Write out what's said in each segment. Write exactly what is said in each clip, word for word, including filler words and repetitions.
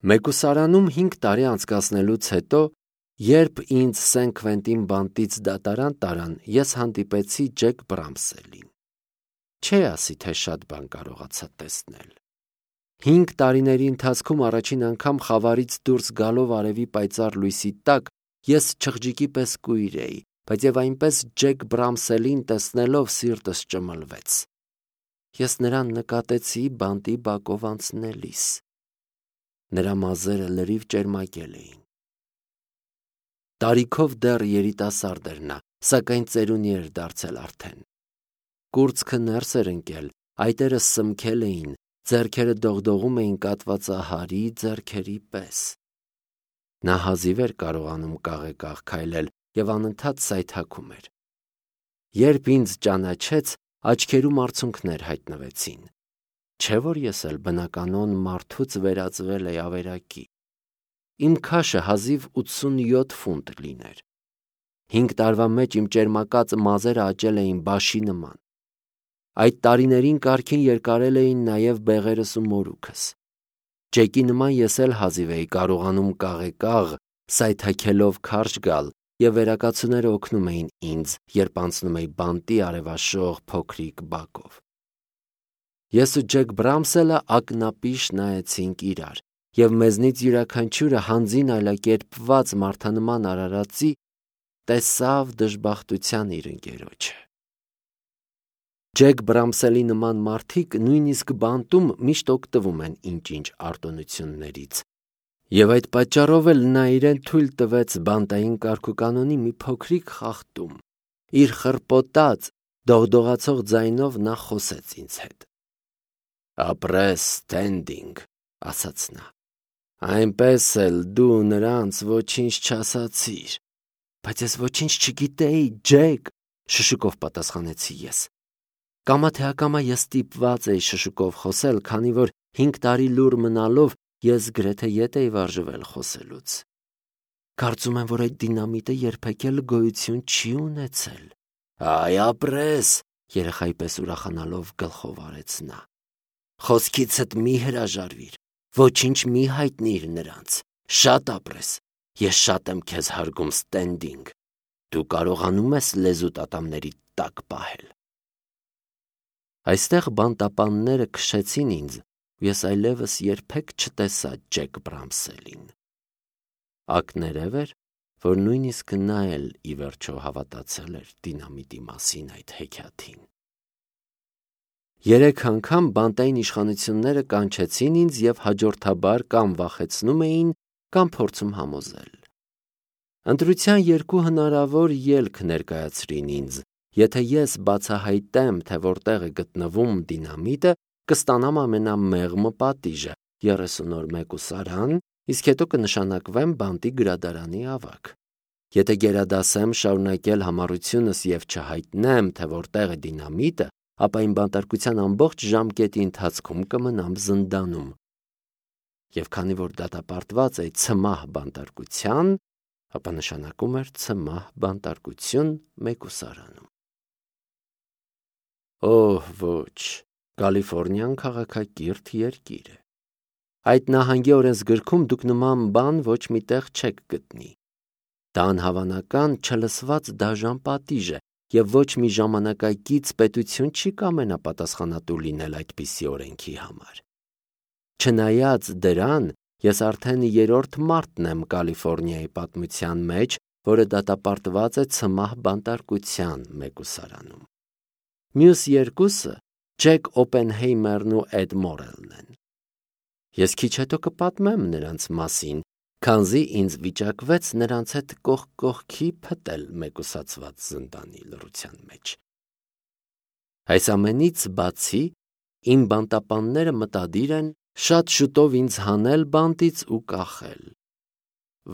Մեկուսարանում հինգ տարի անցկացնելուց հետո, երբ ինձ Սեն Քվենտին բանտից դատարան տարան, ես հանդիպեցի Ջեք Բրամսելին։ Չէ ասի, թե շատ բան կարողացա տեսնել։ Հինգ տարիների ընթացքում առաջին անգամ խավարից դուրս գալով արևի պայծառ լույսի տակ ես չղջիկի պես կույր էի, բայց եւ այնպես Ջեք Բրամսելին տեսնելով սիրտս ճմլվեց։ Ես նրան նկատեցի բանտի բակով անցնելիս։ Նրա մազերը լրիվ ճերմակել էին։ Տարիքով դեռ երիտասարդ էր նա, սակայն ծերունի էր դարձել արդեն։ Կուրծքը ներս էր ընկել, այտերը սմքել էին, ձեռքերը դողդողում էին կատվածահարի ձեռքերի պես։ Նա հազիվ էր կարողանում կաղեկաղ քայլել եւ անընդհատ սայթաքում էր։ Երբ ինձ ճանաչեց, աչքերում արցունքներ հայտնվեցին։ Չէ՞ որ ես էլ բնականոն մարդուց վերածվել էի ավերակի։ Իմ քաշը հազիվ ութսունյոթ ֆունտ լիներ։ Հինգ տարվա մեջ իմ ճերմակած մազերը աճել էին բաշի նման։ Այդ տարիներին կարգին երկարել էին նաև բեղերս ու մորուքս։ Ջեկի նման ես էլ հազիվ էի կարողանում կաղեկաղ, սայթաքելով քարշ գալ, եւ վերակացուները օգնում էին ինձ, երբ անցնում էի բանտի արևաշող փոքրիկ բակով։ Ես ու Ջեք Բրամսելը ակնապիշ նայեցինք իրար, եւ մեզնից յուրաքանչյուրը հանձին այլակերպված մարդանման արարածի տեսավ դժբախտության իր ընկերոջը։ Ջեք Բրամսելի նման մարդիկ նույնիսկ բանտում միշտ օգտվում են ինչ-ինչ արտոնություններից, եւ այդ պատճառով էլ նա իրեն թույլ տվեց բանտային կարգուկանոնի մի փոքրիկ խախտում։ Իր խռպոտած, դողդողացող ձայնով նա խոսեց ինձ հետ։ «Ապրես, Սթենդինգ», ասաց նա, «այնպես էլ դու նրանց ոչինչ չասացիր»։ Բայց ես ոչինչ չգիտեի, Ջեք, շշուկով պատասխանեցի ես։ Կամա թե ակամա ես ստիպված էի շշուկով խոսել, քանի որ հինգ տարի լուռ մնալով ես գրեթե ետ էի վարժվել խոսելուց։ Կարծում եմ, որ այդ դինամիտը երբեք էլ գոյություն չի ունեցել։ Այ ապրես, երեխայի պես ուրախանալով գլխով արեց նա։ Խոսքիցդ մի հրաժարվիր, ոչինչ մի հայտնիր նրանց, շատ ապրես, ես շատ եմ քեզ հարգում, Սթենդինգ, դու կարողանում ես լեզուդ ատամների տակ պահել։ Այստեղ բանտապանները քշեցին ինձ, ու ես այլևս երբեք չտեսա Ջեք Բրամսելին։ Ակներև էր, որ նույնիսկ նա էլ ի վերջո հավատացել էր դինամիտի մասին այդ հեքիաթին։ Երեք անգամ բանտային իշխանությունները կանչեցին ինձ եւ հաջորդաբար կամ վախեցնում էին, կամ փորձում համոզել։ Ընտրության երկու հնարավոր ելք ներկայացրին ինձ, եթե ես բացահայտեմ, թե որտեղ է գտնվում դինամիտը, կստանամ ամենամեղմ պատիժը՝ երեսուն օր մեկուսարան, իսկ հետո կնշանակվեմ բանտի գրադարանի ավագ։ Եթե գերադասեմ շարունակել համառությունս եւ չհայտնեմ, թե որտեղ է դինամիտը, ապա իմ բանտարկության ամբողջ ժամկետի ընթացքում կմնամ զնդանում։ Եվ քանի որ դատապարտված էի ցմահ բանտարկության, ապա նշանակում էր ցմահ բանտարկություն մեկուսարանում։ Օհ, ոչ, Կալիֆոռնիան քաղաքակիրթ երկիր է։ Այդ նահանգի օրենսգրքում դուք նման բան ոչ միտեղ չեք գտնի։ Դա անհավանական չլսված դաժան պատիժ է, եւ ոչ մի ժամանակակից պետություն չի կամենա պատասխանատու լինել այդպիսի օրենքի համար։ Չնայած դրան, ես արդեն երրորդ մարդն եմ Կալիֆոռնիայի պատմության մեջ, որը դատապարտված է ցմահ բանտարկության մեկուսարանում։ Մյուս երկուսը Ջեք Օպենհեյմերն ու Էդ Մորելն են։ Ես քիչ հետո կպատմեմ նրանց մասին, քանզի ինձ վիճակվեց նրանց հետ կողք կողքի փտել մեկուսացված զնդանի լռության մեջ։ Այս ամենից բացի, իմ բանտապանները մտադիր են շատ շուտով ինձ հանել բանտից ու կախել։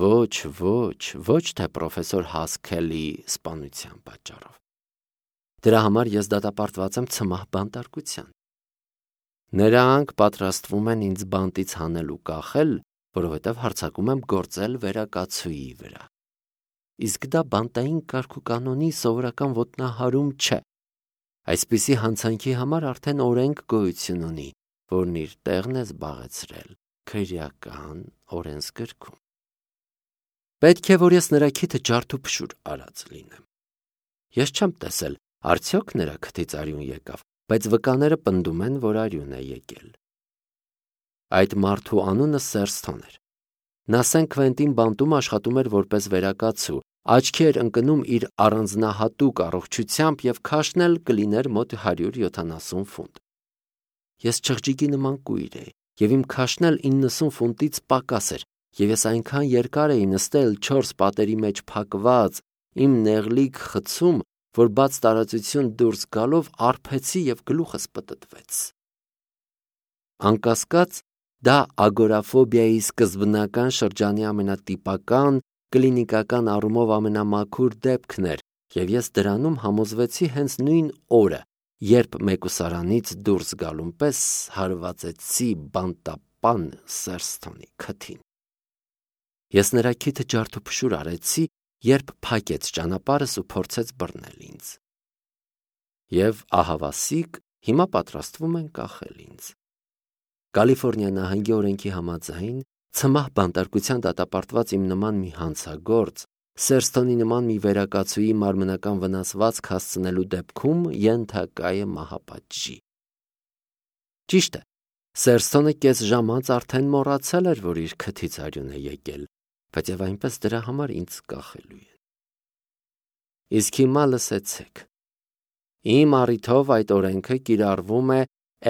Ոչ, ոչ, ոչ թե պրոֆեսոր Հասքելի սպանության պատճառով։ Դրա համար ես դատապարտված եմ ցմահ բանտարկության։ Նրանք պատրաստվում են ինձ բանտից հանել ու կախել, որովհետև հարձակում եմ գործել վերակացուի վրա։ Իսկ դա բանտային կարգուկանոնի սովորական ոտնահարում չէ։ Այսպիսի հանցանքի համար արդեն օրենք գոյություն ունի, որն իր տեղն է զբաղեցրել քրեական օրենսգրքում։ Պետք է, որ ես նրա քիթը ջարդ ու փշուր արած լինեմ։ Ես չեմ տեսել, արդյոք նրա քթից արյուն եկավ, բայց վկաները պնդում են, որ արյուն է եկել։ Այդ մարդու անունը Սերսթոն էր։ Նա Սեն Քվենտին բանտում աշխատում էր որպես վերակացու, աչքի էր ընկնում իր առանձնահատուկ առողջությամբ և քաշն էլ կլիներ մոտ հարյուր յոթանասուն ֆունտ։ Ես չղջիկի նման կույր էի, և իմ քաշն էլ իննսուն ֆունտից պակաս էր, և ես այնքան երկար էի նստել չորս պատերի մեջ փակված իմ նեղլիկ խցում, որ բաց տարածություն դուրս գալով արբեցի և գլուխս պտտվեց։ Անկասկած, դա ագորաֆոբիայի սկզբնական շրջանի ամենատիպական, կլինիկական առումով ամենամաքուր դեպքն էր, և ես դրանում համոզվեցի հենց նույն օրը, երբ մեկուսարանից դուրս գալուն պես հարվածեցի բանտապան Սերսթոնի քթին։ Ես նրա քիթը ջարդ ու փշուր արեցի, երբ փակեց ճանապարհս ու փորձեց բռնել ինձ։ Եվ ահավասիկ հիմա պատրաստվում են կախել ինձ։ Կալիֆոռնիա նահանգի օրենքի համաձայն, ցմահ բանտարկության դատապարտված իմ նման մի հանցագործ Սերսթոնի նման մի վերակացուի մարմնական վնասվածք հասցնելու դեպքում ենթակա է մահապատժի։ Ճիշտ է, Սերսթոնը կես ժամ անց արդեն մոռացել էր, որ իր քթից արյուն է եկել, բայց և այնպես դրա համար ինձ կախելու են։ Իսկ հիմա լսեցեք։ Իմ առիթով այդ օրենքը կիրառվում է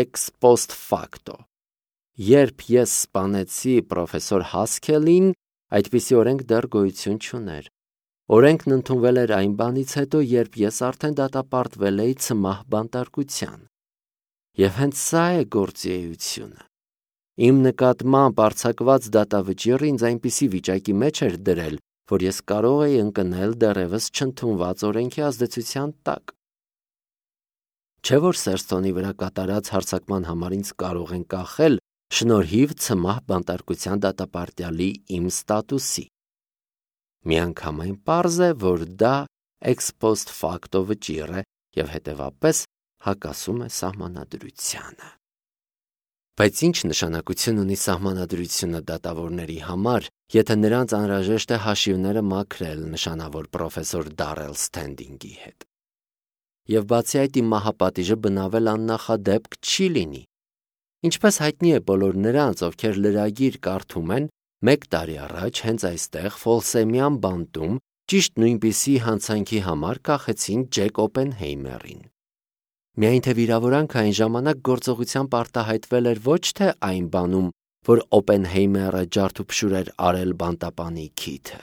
ex post facto։ Երբ ես սպանեցի պրոֆեսոր Հասքելին, այդպիսի օրենք դեռ գոյություն չուներ։ Օրենքն ընդունվել էր այն բանից հետո, երբ ես արդեն դատապարտվել էի ցմահ բանտարկության։ Եվ հենց սա է գործի էությունը։ Իմ նկատմամբ արձակված դատավճիռը ինձ այնպիսի վիճակի մեջ էր դրել, որ ես կարող էի ընկնել դեռևս չընդունված օրենքի ազդեցության տակ։ Չէ՞ որ Սերսթոնի վրա կատարած հարձակման համար ինձ կարող են կախել շնորհիվ ցմահ բանտարկության դատապարտյալի իմ ստատուսի։ Միանգամայն պարզ է, որ դա ex post facto վճիռ է և հետևապես հակասում է սահմանադրությանը։ Բայց ինչ նշանակություն ունի սահմանադրությունը դատավորների համար, եթե նրանց անհրաժեշտ է հաշիվները մաքրել նշանավոր պրոֆեսոր Դարել Սթենդինգի հետ։ Եվ բացի այդ, իմ մահապատիժը բնավել աննախադեպք չի լինի։ Ինչպես հայտնի է բոլոր նրանց, ովքեր լրագիր կարդում են, մեկ տարի առաջ հենց այստեղ Ֆոլսեմյան բանտում ճիշտ նույնպիսի հանցանքի համար կախեցին Ջեք Օպենհեյմերին։ Միայն թե վիրավորանքը այն ժամանակ գործողությամբ արտահայտվել էր ոչ թե այն բանում, որ Օպենհեյմերը ջարդուփշուր էր արել բանտապանի քիթը։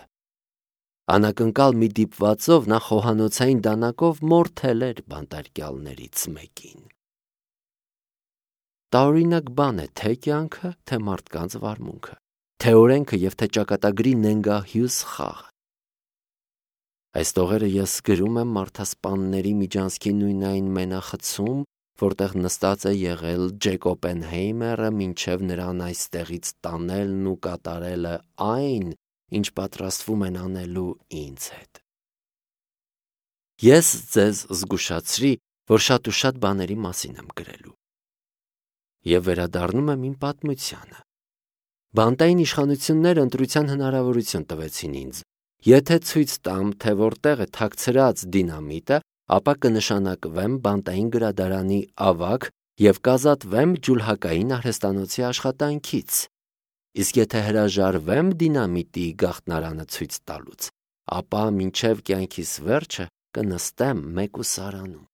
Անակնկալ մի դիպվածով նա խոհանոցային դանակով մորթել էր բանտարկյալներից մեկին։ Տարօրինակ բան է թե կյանքը, թե մարդկանց վարմունքը, թե օրենքը և թե ճակատագրի նենգահյուս խաղը։ Այս տողերը ես գրում եմ մարդասպանների միջանցքի նույնայն մենախցում, որտեղ նստած է եղել Ջեք Օպենհեյմերը մինչև նրան այստեղից տանելն ու կատարելը այն, ինչ պատրաստվում են անելու ինձ հետ։ Ես ձեզ զգուշացրի, որ շատ ու շատ բաների մասին եմ գրելու։ Եվ վերադառնում եմ իմ պատմությանը։ Բանտային իշխանությունները ընտրության հնարավորություն տվեցին ինձ։ Եթե ցույց տամ, թե որտեղ է թաքցրած դինամիտը, ապա կնշանակվեմ բանտային գրադարանի ավագ և կազատվեմ ջուլհակային արհեստանոցի աշխատանքից։ Իսկ եթե հրաժարվեմ դինամիտի գաղտնարանը ցույց տալուց, ապա մինչև կյանքիս վերջը կնստեմ մեկուսարանում։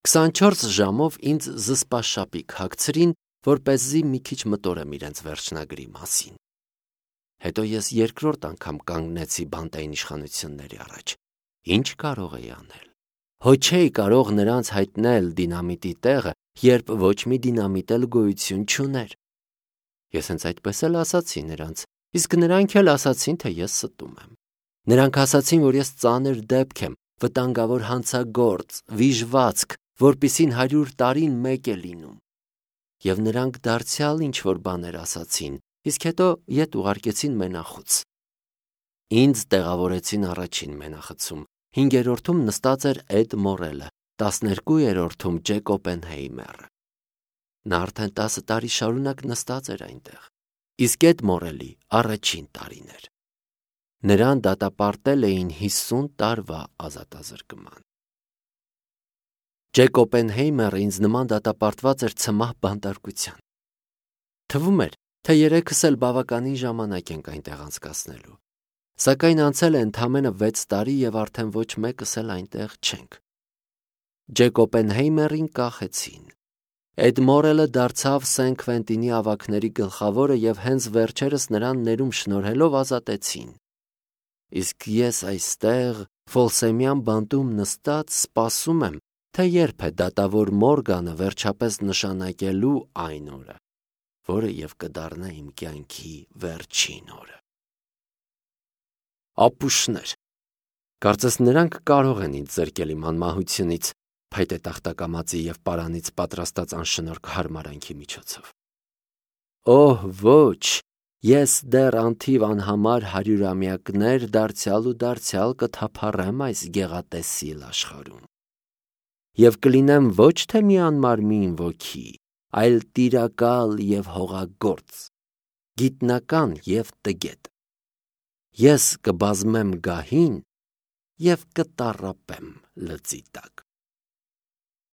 քսանչորս ժամով ինձ զսպաշապիկ հագցրին, որպեսզի մի քիչ մտորեմ իրենց վերջնագրի մասին։ Հետո ես երկրորդ անգամ կանգնեցի բանտային իշխանությունների առաջ։ Ինչ կարող էի անել։ Հո չէի կարող նրանց հայտնել դինամիտի տեղը, երբ ոչ մի դինամիտ էլ գոյություն չուներ։ Ես հենց այդպես էլ ասացի նրանց, իսկ նրանք էլ ասացին, թե ես ստում եմ։ Նրանք ասացին, որ ես ծանր դեպք եմ, վտանգավոր հանցագործ, վիժվածք, որպիսին հարյուր տարին մեկ է լինում։ Եվ նրանք դարձյալ ինչ-որ բաներ ասացին, իսկ հետո ետ ուղարկեցին մենախոց։ Ինձ տեղավորեցին առաջին մենախցում, հինգերորդում նստած էր Էդ Մորելը, տասներկուերորդում Ջեք Օպենհեյմերը։ Նա արդեն տասը տարի շարունակ նստած էր այնտեղ։ իսկ այդ մորելի առաջին տարին էր։ Նրան դատապարտել էին հիսուն տարվա ազատազրկման։ Ջեք Օպենհեյմերը ինձ նման դատապարտված էր ցմահ բանտարկության։ Թվում էր, թե երեքս էլ բավականին ժամանակ ենք այնտեղ անցկացնելու, սակայն անցել է ընդամենը վեց տարի և արդեն ոչ մեկս էլ այնտեղ չենք։ Ջեք Օպենհեյմերին կախեցին։ Էդ մորելը դարձավ Սեն Քվենտինի ավագների գլխավորը և հենց վերջերս նրան ներում շնորհելով ազատեցին։ Իսկ ես այստեղ Ֆոլսեմյան բանտում նստած սպասում եմ, թե երբ է դատավոր Մորգանը վերջապես նշանակելու այն օրը, որը և կդառնա իմ կյանքի վերջին օրը։ Ապուշներ, կարծես նրանք կարող են ինձ զրկել իմ անմահությունից, փայտե տախտակամածի և պարանից պատրաստած անշնորհք հարմարանքի միջոցով։ Օհ, ոչ, ես դեռ անթիվ անհամար հարյուրամյակներ դարձյալ ու դարձյալ կթափառեմ այս գեղատեսիլ աշխարհում։ Եվ կլինեմ ոչ թե մի անմարմին ոգի, այլ տիրակալ և հողագործ, գիտնական և տգետ։ Ես կբազմեմ գահին և կտառապեմ լծի տակ։